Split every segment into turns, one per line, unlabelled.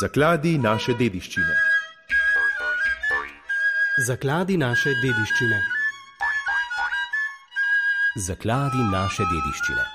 Zakladi naše dediščine.
Zakladi naše dediščine.
Zakladi naše dediščine.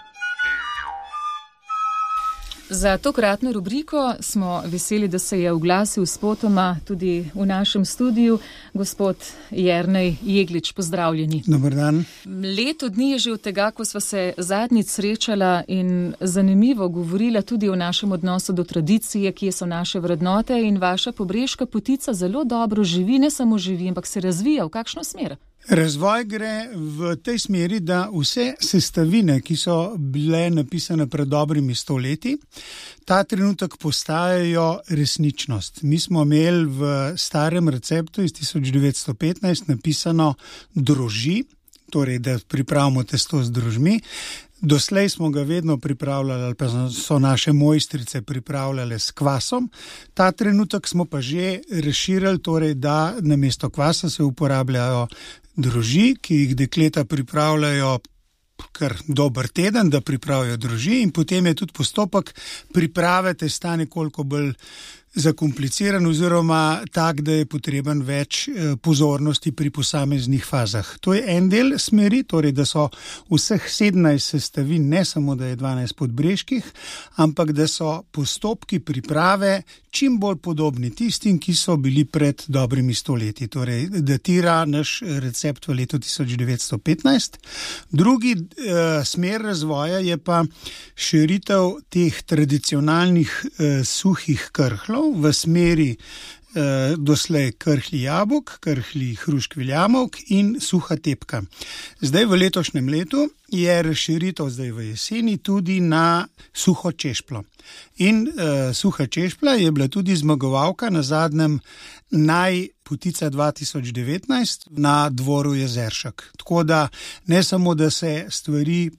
Za tokratno rubriko smo veseli, da se je oglasil spotoma tudi v našem studiu gospod Jernej Jeglič. Pozdravljeni.
Dober dan.
Leto dni je že od tega, ko sva se zadnjič srečala in zanimivo govorila tudi o našem odnosu do tradicije, kje so naše vrednote, in vaša Pobreška potica zelo dobro živi, ne samo živi, ampak se razvija. V kakšno smer?
Razvoj gre v tej smeri, da vse sestavine, ki so bile napisane pred dobrimi 100 leti, ta trenutek postajajo resničnost. Mi smo imeli v starem receptu iz 1915 napisano droži, torej da pripravimo testo z drožmi. Doslej smo ga vedno pripravljali, ali pa so naše mojstrice pripravljale s kvasom. Ta trenutek smo pa že razširili, torej da namesto kvasa se uporabljajo droži, ki jih dekleta pripravljajo kar dober teden, da pripravijo droži, in potem je tudi postopek priprave testa nekoliko bolj zakompliciran oziroma tak, da je potreben več pozornosti pri posameznih fazah. To je en del smeri, torej da so vseh 17 sestavin, ne samo da je 12 podbreških, ampak da so postopki priprave čim bolj podobni tistim, ki so bili pred dobrimi 100 leti. Torej datira naš recept v letu 1915. Drugi smer razvoja je pa širitev teh tradicionalnih suhih krhlov v smeri doslej krhlji jabolk, krhlji hruškvi jabolk in suha tepka. Zdaj v letošnjem letu je razširitev zdaj v jeseni tudi na suho češplo. In suha češpla je bila tudi zmagovalka na zadnjem Potica 2019 na dvoru Jezeršek. Tako da ne samo, da se stvari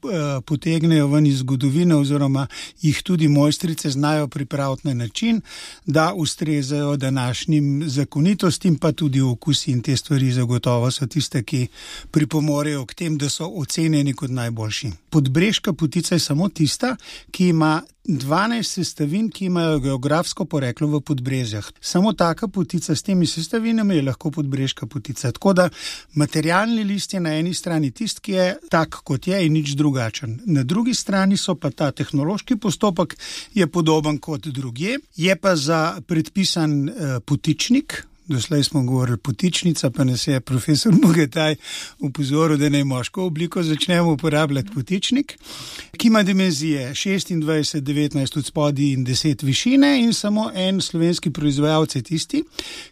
potegnejo ven iz zgodovine oziroma jih tudi mojstrice znajo pripraviti na način, da ustrezajo današnjim zakonitostim, pa tudi okusi, in te stvari zagotovo so tiste, ki pripomorejo k tem, da so ocenjeni kot najboljši. Podbreška potica je samo tista, ki ima 12 sestavin, ki imajo geografsko poreklo v Podbrezjah. Samo taka potica s temi sestavinami je lahko podbreška potica. Tako da materialni list je na eni strani tist, ki je tak, kot je, in nič drugačen. Na drugi strani so pa ta tehnološki postopek je podoben kot drugje. Je pa za predpisan potičnik. Doslej smo govorili potičnica, pa nas je profesor Bogataj upozoril, da naj moško obliko začnemo uporabljati potičnik, ki ima dimenzije 26, 19 od spodaj in 10 višine, in samo en slovenski proizvajalec je tisti,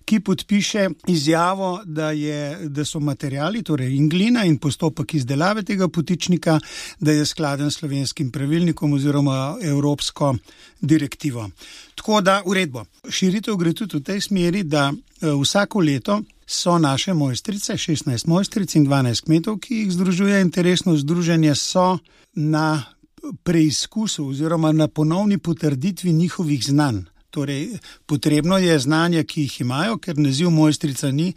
ki podpiše izjavo, da so materiali, torej in glina in postopek izdelave tega potičnika, da je skladen s slovenskim pravilnikom oziroma evropsko direktivo. Tako da uredbo. Širitev gre tudi v tej smeri, da vsako leto so naše mojstrice, 16 mojstric in 12 kmetov, ki jih združuje interesno združenje, so na preizkusu oziroma na ponovni potrditvi njihovih znanj. Torej, potrebno je znanja, ki jih imajo, ker naziv mojstrica ni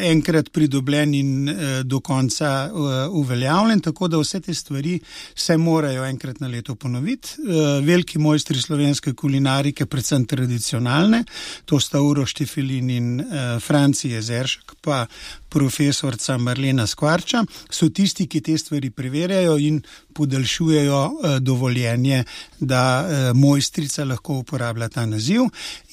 enkrat pridobljen in do konca uveljavljen, tako da vse te stvari se morajo enkrat na leto ponoviti. Veliki mojstri slovenske kulinarike, predvsem tradicionalne, to sta Uroš Štefelin in Franci Jezeršek, pa profesorca Marlena Skvarča, so tisti, ki te stvari preverjajo in podaljšujejo dovoljenje, da mojstrica lahko uporablja ta naziv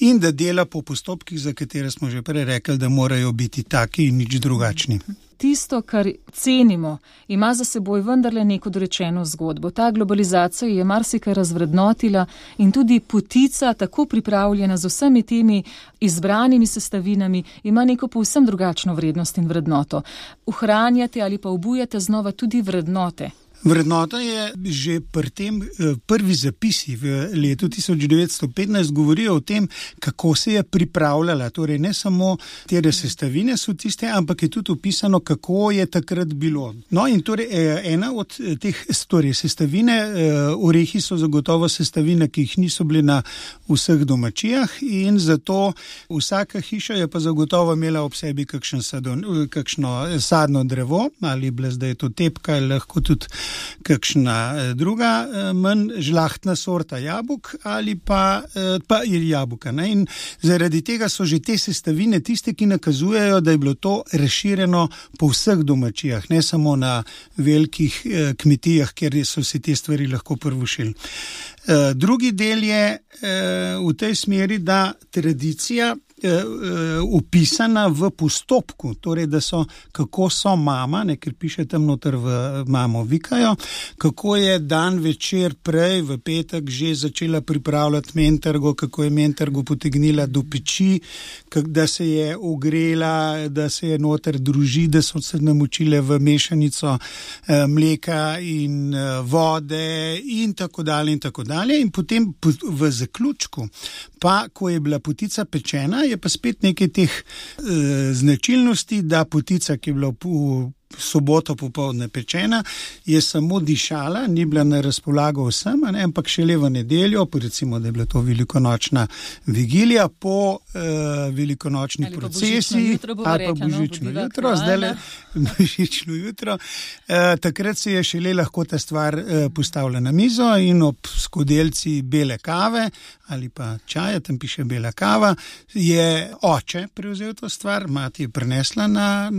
in da dela po postopkih, za katere smo že prej rekli, da morajo biti taki in nič drugačni.
Tisto, kar cenimo, ima za seboj vendarle neko dorečeno zgodbo. Ta globalizacija je marsikaj razvrednotila in tudi potica, tako pripravljena z vsemi temi izbranimi sestavinami, ima neko povsem drugačno vrednost in vrednoto. Ohranjate ali pa obujate znova tudi vrednote.
Vrednota je že pri tem prvi zapisi v letu 1915 govorijo o tem, kako se je pripravljala. Torej ne samo tere sestavine so tiste, ampak je tudi opisano, kako je takrat bilo. No in torej ena od teh sestavine, orehi so zagotovo sestavine, ki jih niso bili na vseh domačijah, in zato vsaka hiša je pa zagotovo imela ob sebi kakšno sadno drevo, ali bila zdaj to tepka, ali lahko tudi kakšna druga manj žlahtna sorta jabolk ali pa jabolka. Ne? In zaradi tega so že te sestavine tiste, ki nakazujejo, da je bilo to razširjeno po vseh domačijah, ne samo na velikih kmetijah, kjer so se te stvari lahko prvošili. Drugi del je v tej smeri, da tradicija upisana v postopku, torej da so, kako so mama, ne, ker piše tam noter v mamo vikajo, kako je dan večer prej, v petek že začela pripravljati mentargo, kako je mentargo potegnila do peči, da se je ogrela, da se je noter druži, da so se namočile v mešanico mleka in vode in tako dalje in tako dalje. In potem v zaključku, pa ko je bila potica pečena, je pa spet nekaj teh značilnosti, da potica, ki je bila v soboto popoldne pečena, je samo dišala, ni bila na razpolago vsem, ampak šele v nedeljo, recimo, da je bila to velikonočna vigilija, po velikonočni procesiji, ali pa božično jutro, zdajle božično jutro, takrat se je šele lahko ta stvar postavila na mizo in ob skodelci bele kave ali pa čaja, tam piše bela kava, je oče prevzel to stvar, mati je prinesla na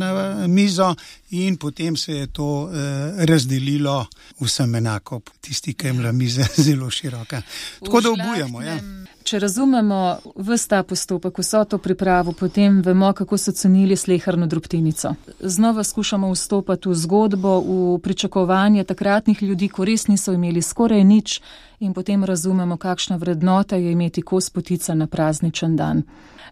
mizo in potem se je to razdelilo vsem enako, tisti, ki je imela miza zelo široka. Tako da obujamo, ja.
Če razumemo ves ta postopek, vso to pripravo, potem vemo, kako so cenili sleherno drobtinico. Znova skušamo vstopati v zgodbo, v pričakovanje takratnih ljudi, ko res niso imeli skoraj nič, in potem razumemo, kakšna vrednota je imeti kos potica na prazničen dan.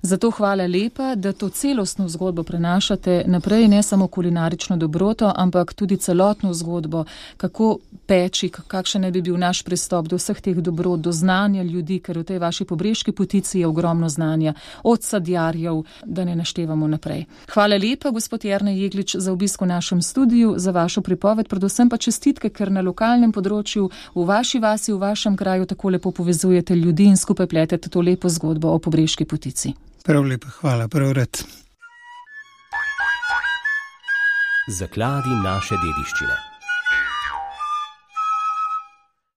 Zato hvala lepa, da to celostno zgodbo prenašate naprej, ne samo kulinarično dobroto, ampak tudi celotno zgodbo, kako peči, kakšen ne bi bil naš pristop do vseh teh dobrot, do znanja ljudi, ker v tej vaši pobreški potici je ogromno znanja, od sadjarjev, da ne naštevamo naprej. Hvala lepa, gospod Jernej Jeglič, za obisk v našem studiu, za vašo pripoved, predvsem pa čestitke, ker na lokalnem področju, v vaši vasi, v vašem kraju tako lepo povezujete ljudi in skupaj pletete to lepo zgodbo o pobreški potici.
Prav lepo, hvala, prav rad.
Zakladi naše dediščine.